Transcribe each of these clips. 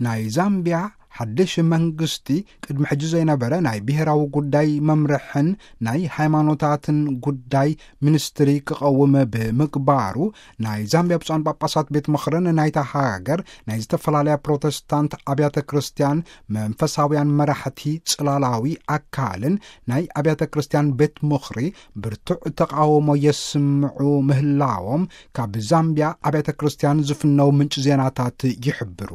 ናይ ዛምቢያ ሓድሽ መንግስቲ ቅድሚ ሕጂ ዘይነበረ ናይ ብሔራዊ ጉዳይ መምርሕን ናይ ሃይማኖታትን ጉዳይ ሚኒስትሪ ክቐውም ብምግባሩ፣ ናይ ዛምቢያ ብፁዓን ጳጳሳት ቤት ምኽርን ናይታ ሃገር ናይ ዝተፈላለያ ፕሮቴስታንት ኣብያተ ክርስቲያን መንፈሳውያን መራሕቲ ጽላላዊ ኣካልን ናይ ኣብያተ ክርስቲያን ቤት ምኽሪ ብርቱዕ ተቓውሞ የስምዑ ምህላዎም ካብ ዛምቢያ ኣብያተ ክርስቲያን ዝፍነው ምንጭ ዜናታት ይሕብሩ።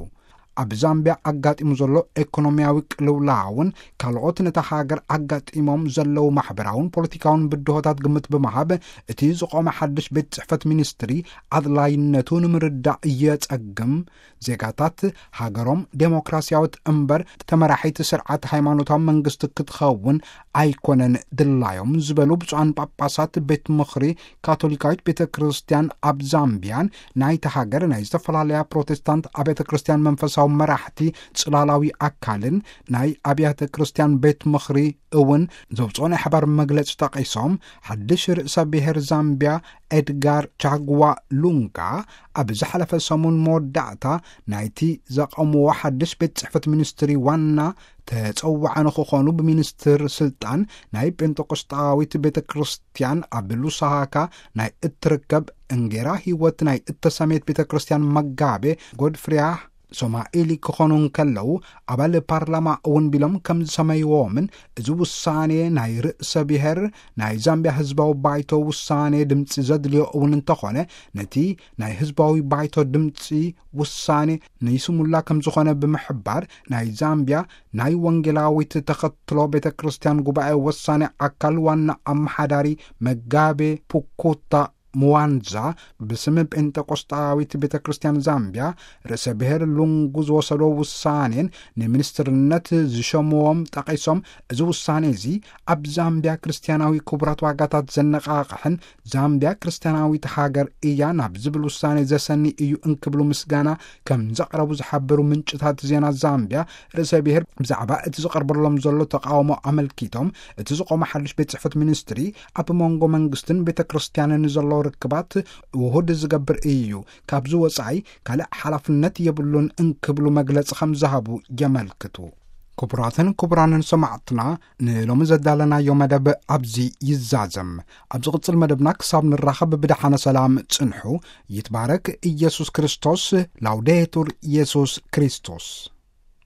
ኣብ ዛምቢያ ኣጋጢሙ ዘሎ ኤኮኖሚያዊ ቅልውላውን ካልኦት ነታ ሃገር ኣጋጢሞም ዘለዉ ማሕበራውን ፖለቲካውን ብድሆታት ግምት ብምሃብ፣ እቲ ዝቖመ ሓድሽ ቤት ጽሕፈት ሚኒስትሪ ኣድላይነቱ ንምርዳእ እየጸግም። ዜጋታት ሃገሮም ዴሞክራሲያዊት እምበር ተመራሒት ስርዓት ሃይማኖታዊ መንግስቲ ክትኸውን ኣይኮነን ድላዮም ዝበሉ ብፁዓን ጳጳሳት ቤት ምኽሪ ካቶሊካዊት ቤተ ክርስቲያን ኣብ ዛምቢያን ናይታ ሃገር ናይ ዝተፈላለያ ፕሮቴስታንት ኣብያተ ክርስቲያን መንፈሳዊ መራሕቲ ጽላላዊ ኣካልን ናይ ኣብያተ ክርስቲያን ቤት ምኽሪ እውን ዘውፅኦ ናይ ሓባር መግለጺ ጠቒሶም፣ ሓድሽ ርእሰ ብሔር ዛምቢያ ኤድጋር ቻግዋ ሉንጋ ኣብ ዝሓለፈ ሰሙን መወዳእታ ናይቲ ዘቐምዎ ሓድሽ ቤት ጽሕፈት ሚኒስትሪ ዋና ተጸዋዒ ንክኾኑ ብሚኒስትር ስልጣን ናይ ጴንጠቆስጣዊት ቤተ ክርስቲያን ኣብ ሉሳካ ናይ እትርከብ እንጌራ ህይወት ናይ እተሰመየት ቤተ ክርስቲያን መጋቤ ጎድፍሪያ ሶማኢሊ ክኾኑ እንከለዉ፣ ኣባል ፓርላማ እውን ቢሎም ከም ዝሰመይዎምን፣ እዚ ውሳኔ ናይ ርእሰ ብሔር ናይ ዛምቢያ ህዝባዊ ባይቶ ውሳኔ ድምፂ ዘድልዮ እውን እንተኾነ፣ ነቲ ናይ ህዝባዊ ባይቶ ድምፂ ውሳኔ ንይስሙላ ከም ዝኾነ ብምሕባር፣ ናይ ዛምቢያ ናይ ወንጌላዊት ተኸትሎ ቤተ ክርስቲያን ጉባኤ ወሳኔ ኣካል ዋና ኣመሓዳሪ መጋቤ ፑኩታ ምዋንዛ ብስም ጴንጠቆስጣዊት ቤተ ክርስቲያን ዛምቢያ ርእሰ ብሔር ሉንጉ ዝወሰዶ ውሳኔን ንሚኒስትርነት ዝሸምዎም ጠቒሶም፣ እዚ ውሳኔ እዚ ኣብ ዛምቢያ ክርስቲያናዊ ክቡራት ዋጋታት ዘነቓቕሕን ዛምቢያ ክርስቲያናዊት ሃገር እያ ናብ ዝብል ውሳኔ ዘሰኒ እዩ እንክብሉ ምስጋና ከም ዘቕረቡ ዝሓበሩ ምንጭታት ዜና ዛምቢያ፣ ርእሰ ብሔር ብዛዕባ እቲ ዝቐርበሎም ዘሎ ተቃውሞ ኣመልኪቶም፣ እቲ ዝቆመ ሓድሽ ቤት ጽሕፈት ሚኒስትሪ ኣብ መንጎ መንግስትን ቤተ ክርስቲያንን ዘሎ ርክባት ውሁድ ዝገብር እዩ፣ ካብዚ ወጻኢ ካልእ ሓላፍነት የብሉን እንክብሉ መግለጺ ከም ዝሃቡ የመልክቱ። ክቡራትን ክቡራንን ሰማዕትና፣ ንሎሚ ዘዳለናዮ መደብ ኣብዚ ይዛዘም። ኣብ ዝቕጽል መደብና ክሳብ ንራኸብ ብደሓነ ሰላም ጽንሑ። ይትባረክ ኢየሱስ ክርስቶስ። ላውዴቱር ኢየሱስ ክርስቶስ።